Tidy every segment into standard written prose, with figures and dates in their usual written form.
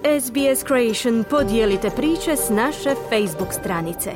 SBS Creation, podijelite priče s naše Facebook stranice.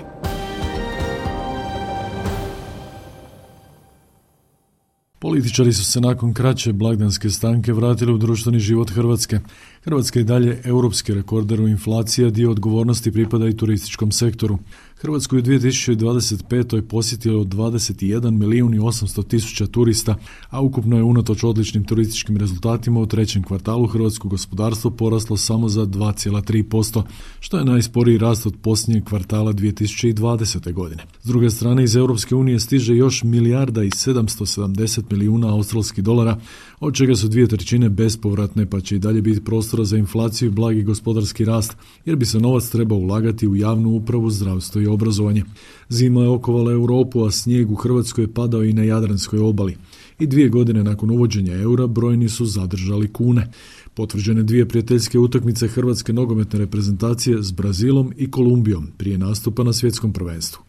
Političari su se nakon kraće blagdanske stanke vratili u društveni život Hrvatske. Hrvatska je dalje europski rekorder u inflaciji, a dio odgovornosti pripada i turističkom sektoru. Hrvatsku je u 2025. posjetilo 21.800.000 turista, a ukupno je unatoč odličnim turističkim rezultatima u trećem kvartalu hrvatsko gospodarstvo poraslo samo za 2,3%, što je najsporiji rast od posljednjeg kvartala 2020. godine. S druge strane, iz Europske unije stiže još $1.770 milijuna australskih dolara, od čega su 2/3 bespovratne, pa će i dalje biti prostora za inflaciju i blagi gospodarski rast, jer bi se novac trebao ulagati u javnu upravu, zdravstvo i obrazovanje. Zima je okovala Europu, a snijeg u Hrvatskoj je padao i na Jadranskoj obali. I 2 godine nakon uvođenja eura brojni su zadržali kune. Potvrđene 2 prijateljske utakmice hrvatske nogometne reprezentacije s Brazilom i Kolumbijom prije nastupa na svjetskom prvenstvu.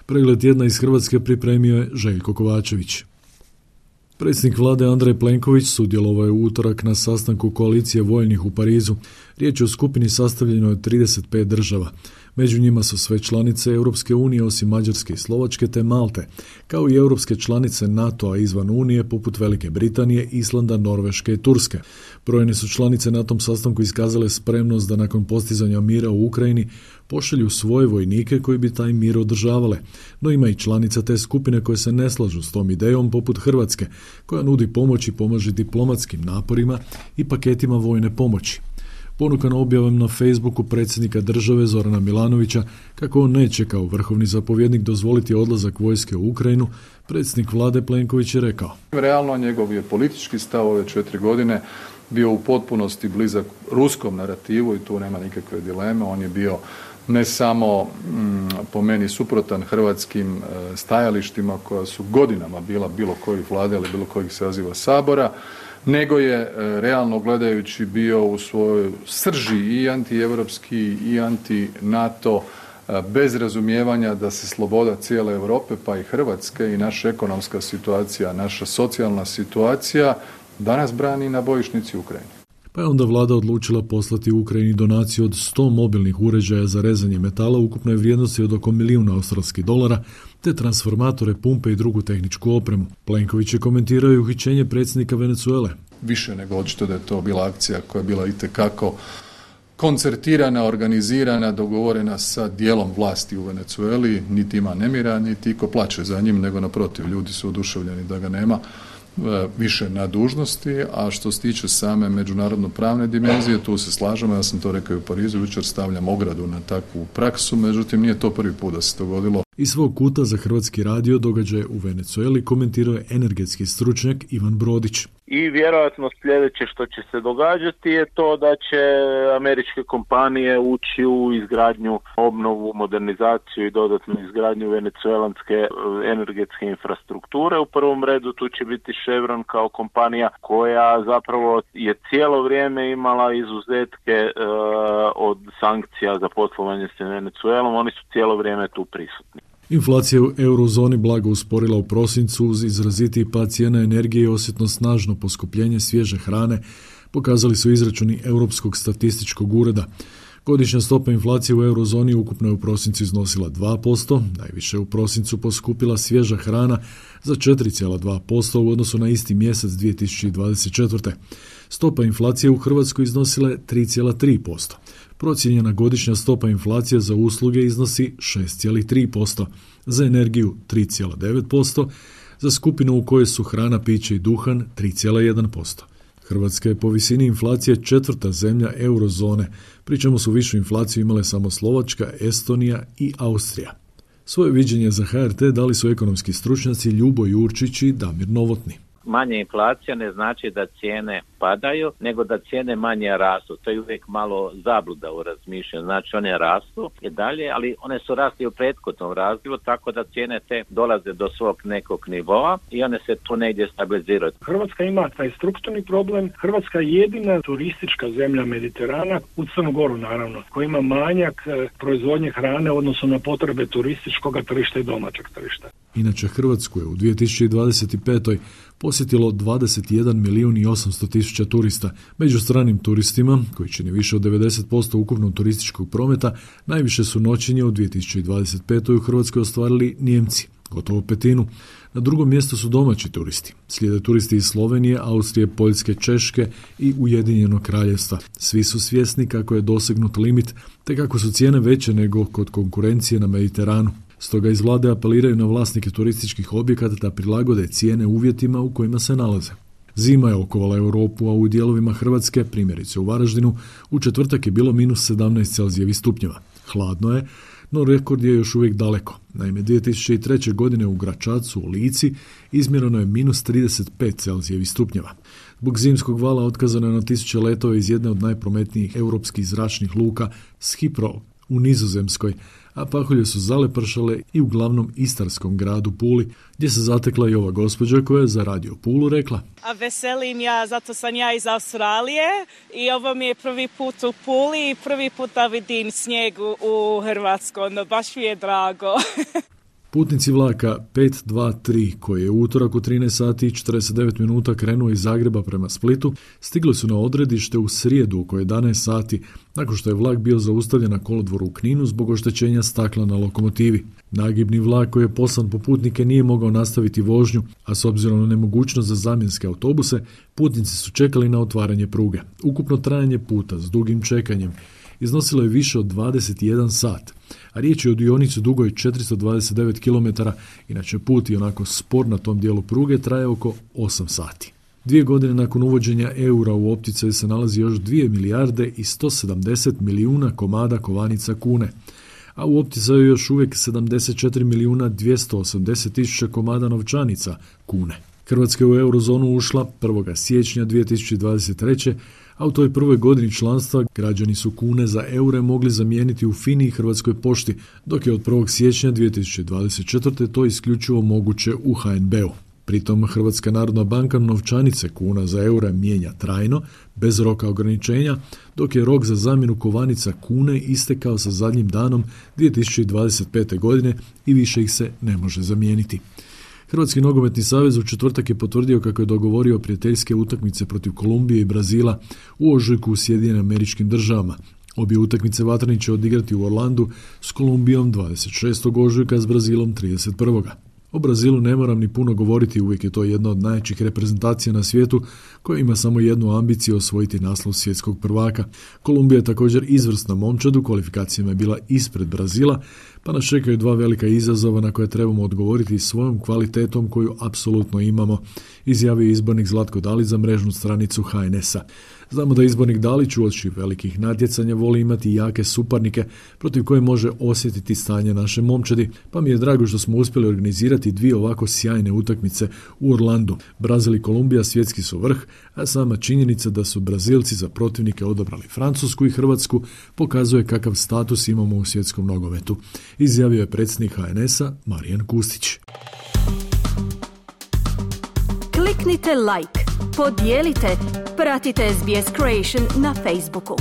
Pregled tjedna iz Hrvatske pripremio je Željko Kovačević. Predsjednik vlade Andrej Plenković sudjelovao je u utorak na sastanku koalicije vojnih u Parizu. Riječ je o skupini sastavljenoj od 35 država. Među njima su sve članice Europske unije osim Mađarske i Slovačke te Malte, kao i europske članice NATO-a izvan Unije poput Velike Britanije, Islanda, Norveške i Turske. Brojne su članice na tom sastanku iskazale spremnost da nakon postizanja mira u Ukrajini pošalju svoje vojnike koji bi taj mir održavale. No ima i članica te skupine koje se ne slažu s tom idejom poput Hrvatske, koja nudi pomoć i pomaže diplomatskim naporima i paketima vojne pomoći. Ponukan objavom na Facebooku predsjednika države Zorana Milanovića kako on neće kao vrhovni zapovjednik dozvoliti odlazak vojske u Ukrajinu, predsjednik vlade Plenković je rekao: Realno njegov je politički stav ove 4 godine bio u potpunosti blizak ruskom narativu i tu nema nikakve dileme. On je bio ne samo po meni suprotan hrvatskim stajalištima koja su godinama bila bilo kojih vlade ili bilo kojih saziva Sabora, nego je realno gledajući bio u svojoj srži i antievropski i anti-NATO, bez razumijevanja da se sloboda cijele Europe pa i Hrvatske i naša ekonomska situacija, naša socijalna situacija danas brani na bojišnici Ukrajine. Pa je onda vlada odlučila poslati u Ukrajini donaciju od 100 mobilnih uređaja za rezanje metala ukupnoj vrijednosti od oko $1.000.000 australskih dolara, te transformatore, pumpe i drugu tehničku opremu. Plenković je komentirao i uhićenje predsjednika Venezuele. Više nego očito da je to bila akcija koja je bila itekako koncertirana, organizirana, dogovorena sa dijelom vlasti u Venezueli. Niti ima nemira, niti iko plače za njim, nego naprotiv, ljudi su oduševljeni da ga nema više na dužnosti, a što se tiče same međunarodno pravne dimenzije, tu se slažemo, ja sam to rekao i u Parizu, jučer stavljam ogradu na takvu praksu, međutim nije to prvi put da se dogodilo. Iz svog kuta za Hrvatski radio događaje u Venezueli komentirao je energetski stručnjak Ivan Brodić. I vjerojatno sljedeće što će se događati je to da će američke kompanije ući u izgradnju, obnovu, modernizaciju i dodatnu izgradnju venezuelanske energetske infrastrukture. U prvom redu tu će biti Chevron kao kompanija koja zapravo je cijelo vrijeme imala izuzetke od sankcija za poslovanje s Venezuelom. Oni su cijelo vrijeme tu prisutni. Inflacija u eurozoni blago usporila u prosincu uz izrazitiji pad cijena energije i osjetno snažno poskupljenje svježe hrane, pokazali su izračuni Europskog statističkog ureda. Godišnja stopa inflacije u eurozoni ukupno je u prosincu iznosila 2%, najviše u prosincu poskupila svježa hrana za 4,2% u odnosu na isti mjesec 2024. Stopa inflacije u Hrvatskoj iznosila je 3,3%. Procijenjena godišnja stopa inflacije za usluge iznosi 6,3%, za energiju 3,9%, za skupinu u kojoj su hrana, piće i duhan 3,1%. Hrvatska je po visini inflacije 4. zemlja eurozone, pri čemu su višu inflaciju imale samo Slovačka, Estonija i Austrija. Svoje viđenje za HRT dali su ekonomski stručnjaci Ljubo Jurčić i Damir Novotni. Manja inflacija ne znači da cijene padaju, nego da cijene manje rastu. To je uvijek malo zabluda u razmišljanju. Znači one rastu i dalje, ali one su rasli u prethodnom razdoblju, tako da cijene te dolaze do svog nekog nivoa i one se tu negdje stabiliziraju. Hrvatska ima taj strukturni problem. Hrvatska je jedina turistička zemlja Mediterana, u Crnu Goru naravno, koja ima manjak proizvodnje hrane u odnosu na potrebe turističkog tržišta i domaćeg tržišta. Inače, Hrvatsku je u 2025. posjetilo 21.800.000 tisuća turista. Među stranim turistima, koji čine više od 90% ukupnog turističkog prometa, najviše su noćenje u 2025. u Hrvatskoj ostvarili Nijemci, gotovo petinu. Na drugom mjestu su domaći turisti. Slijede turisti iz Slovenije, Austrije, Poljske, Češke i Ujedinjenog Kraljevstva. Svi su svjesni kako je dosegnut limit, te kako su cijene veće nego kod konkurencije na Mediteranu. Stoga iz vlade apeliraju na vlasnike turističkih objekata da prilagode cijene uvjetima u kojima se nalaze. Zima je okovala Europu, a u dijelovima Hrvatske, primjerice u Varaždinu, u četvrtak je bilo minus 17 Celzijevih stupnjeva. Hladno je, no rekord je još uvijek daleko. Naime, 2003. godine u Gračacu u Lici izmjereno je minus 35 Celzijevih stupnjeva. Zbog zimskog vala otkazano je na tisuće letova iz jedne od najprometnijih europskih zračnih luka Schiphol u Nizozemskoj, a pahulje su zalepršale i u glavnom istarskom gradu Puli, gdje se zatekla i ova gospođa koja je za Radio Pulu rekla: A veselim ja, zato sam ja iz Australije i ovo mi je prvi put u Puli i prvi put da vidim snijeg u Hrvatskoj, no baš mi je drago. Putnici vlaka 523, koji je u utorak u 13 sati i 49 minuta krenuo iz Zagreba prema Splitu, stigli su na odredište u srijedu oko 11 sati, nakon što je vlak bio zaustavljen na kolodvoru u Kninu zbog oštećenja stakla na lokomotivi. Nagibni vlak koji je poslan po putnike nije mogao nastaviti vožnju, a s obzirom na nemogućnost za zamjenske autobuse, putnici su čekali na otvaranje pruge. Ukupno trajanje puta s dugim čekanjem iznosilo je više od 21 sat, a riječ je o dionici dugoj 429 km, inače put i onako spor na tom dijelu pruge traje oko 8 sati. 2 godine nakon uvođenja eura u opticaju se nalazi još 2 milijarde i 170 milijuna komada kovanica kune, a u opticaju još uvijek 74 milijuna 280 tisuća komada novčanica kune. Hrvatska je u eurozonu ušla 1. siječnja 2023. a u toj prvoj godini članstva građani su kune za eure mogli zamijeniti u FINI i Hrvatskoj pošti, dok je od 1. siječnja 2024. to isključivo moguće u HNB-u. Pritom Hrvatska narodna banka novčanice kuna za eure mijenja trajno, bez roka ograničenja, dok je rok za zamjenu kovanica kune istekao sa zadnjim danom 2025. godine i više ih se ne može zamijeniti. Hrvatski nogometni savez u četvrtak je potvrdio kako je dogovorio prijateljske utakmice protiv Kolumbije i Brazila u ožujku u Sjedinjenim Američkim Državama. Obje utakmice vatreni će odigrati u Orlandu s Kolumbijom 26. ožujka, s Brazilom 31. O Brazilu ne moram ni puno govoriti, uvijek je to jedna od najjačih reprezentacija na svijetu koja ima samo jednu ambiciju, osvojiti naslov svjetskog prvaka. Kolumbija je također izvrsna momčad, u kvalifikacijama je bila ispred Brazila, pa nas čekaju 2 velika izazova na koje trebamo odgovoriti svojom kvalitetom koju apsolutno imamo, izjavio izbornik Zlatko Dalić za mrežnu stranicu HNS-a. Znamo da izbornik Dalić uoči velikih natjecanja voli imati jake suparnike protiv koje može osjetiti stanje naše momčadi, pa mi je drago što smo uspjeli organizirati 2 ovako sjajne utakmice u Orlandu. Brazil i Kolumbija svjetski su vrh, a sama činjenica da su Brazilci za protivnike odabrali Francusku i Hrvatsku pokazuje kakav status imamo u svjetskom nogometu, izjavio je predsjednik HNS-a Marijan Kustić. Kliknite like, podijelite, pratite SBS Creation na Facebooku.